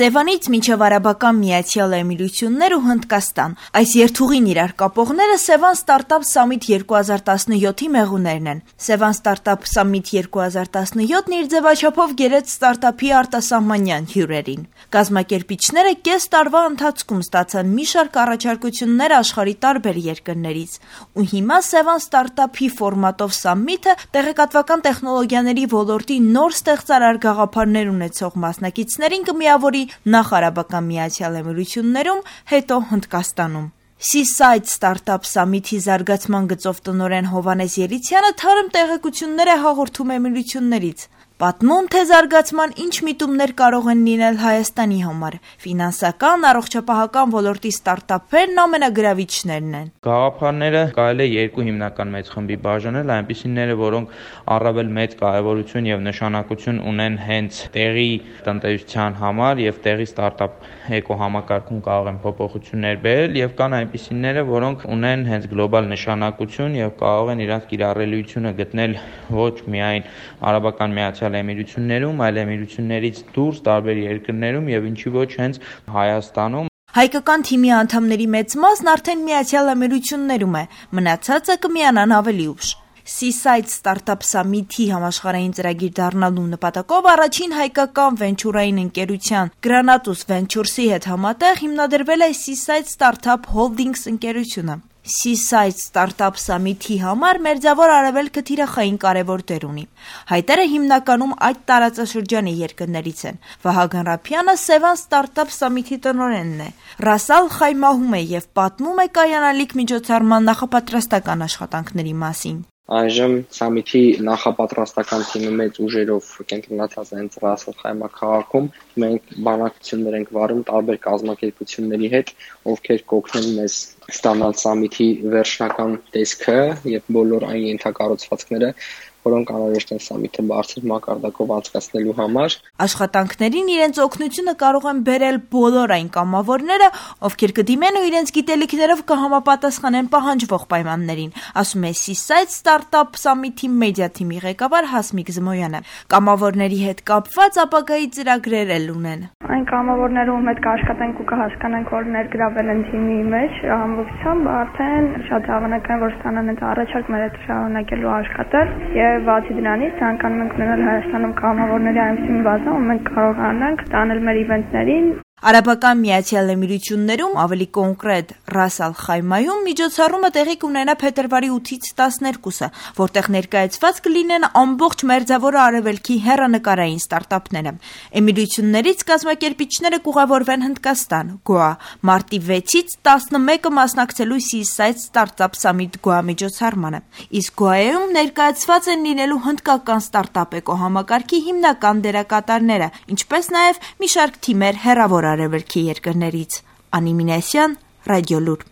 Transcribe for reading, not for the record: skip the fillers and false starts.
Սևանից մինչև Արաբական Միացյալ Էմիրություններ ու Հնդկաստան։ Այս երթուղին իրար կապողները Սևան Ստարտափ Սամիթ 2017-ի մեղուներն են։ Սևան Ստարտափ Սամիթ 2017-ն իր ձևաչափով գերեց ստարտափի արտասահմանյան հյուրերին։ Կազմակերպիչները կես տարվա ընթացքում ստացան մի շարք առաջարկություններ աշխարհի տարբեր երկրներից։ Ու հիմա Սևան Ստարտափի ֆորմատով Սամիթը տեղեկատվական տեխնոլոգիաների ոլորտի նոր ստեղծարար գաղափարներ ունեցող մասնակիցներին կմիավորի նախ Արաբական Միացյալ Էմիրություններում, հետո Հնդկաստանում։ Seaside Startup Summit-ի զարգացման գծով տնօրեն Հովհաննես Ելիցյանը թարմ տեղեկություններ է հաղորդում էմիրություններից։ Պատմում, թե զարգացման ինչ միտումներ կարող են լինել Հայաստանի համար։ Ֆինանսական, առողջապահական ոլորտի ստարտափերն ամենագրավիչներն են։ Գաղափարները կարելի է երկու հիմնական մեծ խմբի բաժանել, այնպիսիները, որոնք առավել մեծ կարևորություն եւ նշանակություն ունեն հենց տեղի տնտեսության համար եւ տեղի ստարտափ էկոհամակարգում կարող են փոփոխություններ բերել, եւ կան այնպիսիները, որոնք ունեն հենց գլոբալ նշանակություն եւ կարող են իրենց կիրառելիությունը գտնել ոչ միայն Արաբական Միացյալ Էմիրություններում, այլ էմիրություններից դուրս տարբեր երկրներում եւ ինչի ոչ հենց Հայաստանում։ Հայկական թիմի անդամների մեծ մասն արդեն Միացյալ Էմիրություններում է, մնացածը կմիանան ավելի ուշ։ Seaside Startup Summit-ի համաշխարհային ծրագիր դառնալու նպատակով առաջին հայկական վենչուրային ընկերության Granatus Ventures-ի հետ համատեղ հիմնադրվել է Seaside Startup Holdings ընկերությունը։ Seaside Startup Summit-ի համար Մերձավոր Արևելքը թիրախային կարևոր դեր ունի։ Հայտերը հիմնականում այդ տարածաշրջանի երկրներից են։ Վահագն Ռափյանը Սևան Startup Summit-ի տնօրենն է։ Ռասալ Խայմահում է եւ պատմում է կայանալիք միջոցառման նախապատրաստական աշխատանքների մասին։ Այժմ Սամիթի նախապատրաստական թիմը մեծ ուժերով կենտրոնացած է Ռասալ Խայմա քաղաքում։ Մենք բանակցություններ ենք վարում տարբեր կազմակերպությունների հետ, ովքեր կօգնեն մեզ ստանալ Սամիթի վերջնական տեսքը եւ բոլոր այն ենթակառուցվածքները, որոնք անհրաժեշտ են Սամիթը բարձր մակարդակով անցկացնելու համար։ Աշխատանքներին իրենց օգնությունը կարող են բերել բոլոր այն կամավորները, ովքեր կդիմեն ու իրենց գիտելիքներով կհամապատասխանեն պահանջվող պայմաններին, ասում է Seaside Startup Summit-ի մեդիա թիմի ղեկավար Հասմիկ Զմոյանը։ Կամավորների հետ կապված ապագայի ծրագրեր էլ ունեն։ Այն կամավորները, ում հետ կաշխատենք ու կհասկանանք, որ ներգրավել են թիմի մեջ, ամբողջությամբ արդեն շատ հավանական որ ստանան այդ առաջարկ մեր հետ շարունակելու աշխատել եւ բացի դրանից ցանկանում ենք ունենալ Հայաստանում կամավորների այնպիսի բազա, ում մենք կարողանանք տանել մեր իվենտներին։ Արաբական Միացյալ Էմիրություններում, ավելի կոնկրետ Ռասալ Խայմայում միջոցառումը տեղի կունենա փետրվարի 8-ից 12-ը, որտեղ ներկայացված կլինեն ամբողջ Մերձավոր Արևելքի հեռանկարային ստարտափները։ Էմիրություններից կազմակերպիչները կուղևորվեն Հնդկաստան, Գոա, մարտի 6-ից 11-ը մասնակցելու Seaside Startup Summit Goa միջոցառմանը։ Իսկ Գոայում ներկայացված են լինելու հնդկական ստարտափ էկոհամակարգի հիմնական դերակատարները, ինչպես նաև մի շարք թիմեր հեռավոր Արևելքի երկրներից։ Անի Մինասյան, Ռադիոլուր։